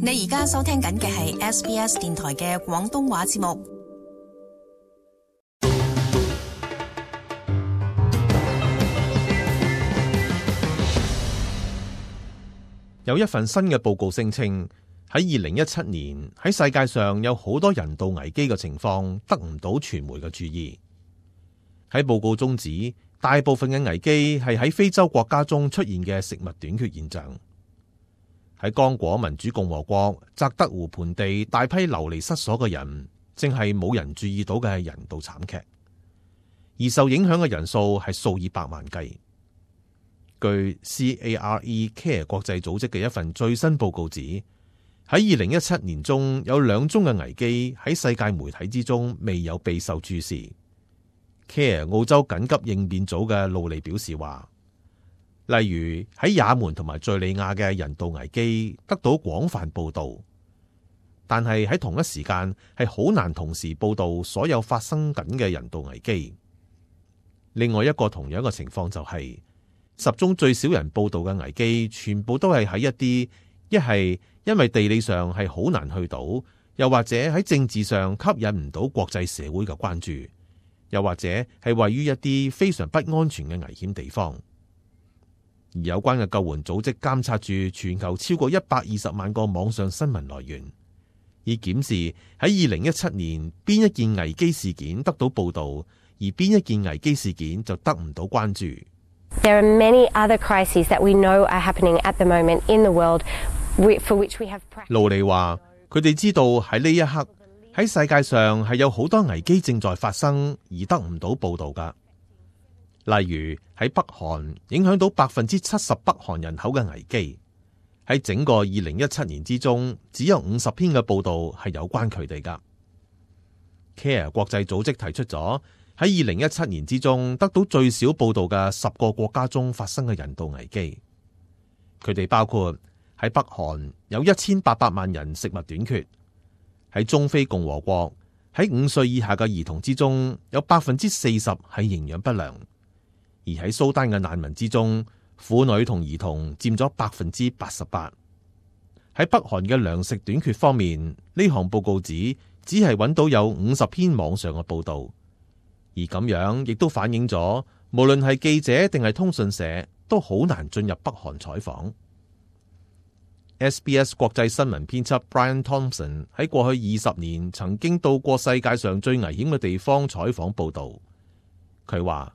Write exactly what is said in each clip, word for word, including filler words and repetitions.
你而家收聽緊嘅係 S B S 電台嘅廣東話節目。有一份新嘅報告聲稱，喺二零一七年喺世界上有好多人道危機嘅情況得唔到傳媒嘅注意。喺報告中指，大部分嘅危機係喺非洲國家中出現嘅食物短缺現象。喺剛果民主共和國澤德湖盆地大批流離失所嘅人，正係冇人注意到嘅人道慘劇，而受影響嘅人數係數以百萬計。據 C A R E Care 國際組織嘅一份最新報告指，喺二零一七年中有兩宗嘅危機喺世界媒體之中未有備受注視。Care 澳洲緊急應變組嘅路利表示話，例如喺也門同埋敘利亞嘅人道危機得到廣泛報道，但係喺同一時間係好難同時報道所有發生緊嘅人道危機。另外一個同樣嘅情況就係、是十宗最少人報道嘅危機，全部都係喺一啲一係因為地理上係好難去到，又或者喺政治上吸引唔到國際社會嘅關注，又或者係位於一啲非常不安全嘅危險地方。而有關嘅救援組織監察住全球超過一百二十萬個網上新聞來源，以檢視喺二零一七年邊一件危機事件得到報道，而邊一件危機事件就得唔到關注。There are many other crises that we know are happening at the moment in the world, for which we have practice. 盧利話：佢哋知道喺呢一刻喺世界上係有好多危機正在發生，而得唔到報道㗎。例如喺北韓影響到百分之七十北韓人口嘅危機，喺整個二零一七年之中，只有五十篇嘅報道係有關佢哋㗎。Care 國際組織提出咗喺二零一七年之中得到最少報道嘅十個國家中發生嘅人道危機，佢哋包括喺北韓有一千八百萬人食物短缺，喺中非共和國喺五歲以下嘅兒童之中有百分之四十係營養不良，而喺蘇丹嘅難民之中，婦女同兒童佔咗百分之八十八。喺北韓嘅糧食短缺方面，呢項報告指只係揾到有五十篇網上嘅報道。而咁樣亦都反映咗，無論係記者定係通訊社，都好難進入北韓採訪。S B S 國際新聞編輯 Brian Thompson 喺過去二十年曾經到過世界上最危險嘅地方採訪報道。佢話：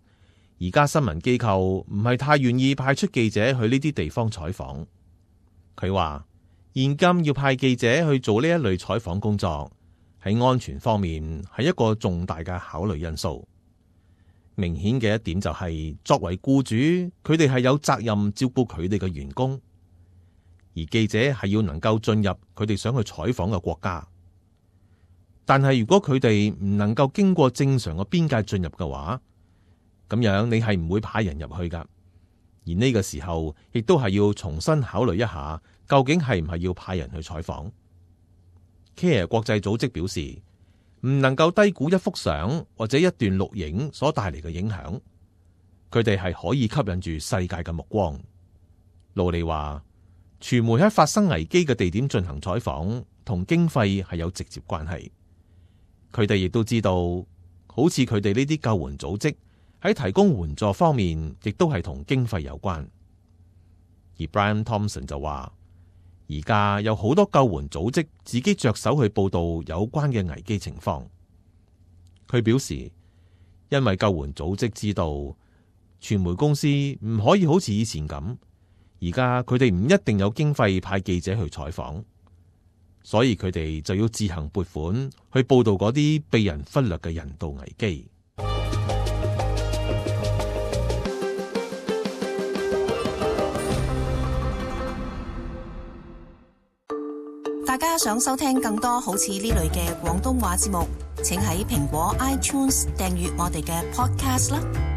而家新聞機構唔係太願意派出記者去呢啲地方採訪。佢話：現今要派記者去做呢一類採訪工作，喺安全方面係一個重大嘅考慮因素。明顯嘅一點就係、是，作為僱主，佢哋係有責任照顧佢哋嘅員工，而記者係要能夠進入佢哋想去採訪嘅國家。但係如果佢哋唔能夠經過正常嘅邊界進入嘅話，咁樣你係唔會派人入去㗎。而呢個時候，亦都係要重新考慮一下，究竟係唔係要派人去採訪。Care 國際組織表示，唔能夠低估一幅相或者一段錄影所帶嚟嘅影響，佢哋係可以吸引住世界嘅目光。盧利話，傳媒喺發生危機嘅地點進行採訪，同經費係有直接關係。佢哋亦都知道，好似佢哋呢啲救援組織喺提供援助方面，亦都係同經費有關。而 Brian Thompson 就話，而家有好多救援組織自己着手去報道有關嘅危機情況。佢表示，因為救援組織知道傳媒公司唔可以好似以前咁，而家佢哋唔一定有經費派記者去採訪，所以佢哋就要自行撥款去報道嗰啲被人忽略嘅人道危機。大家想收聽更多好似呢類嘅廣東話節目，請喺蘋果 iTunes 訂閱我哋嘅 podcast 啦。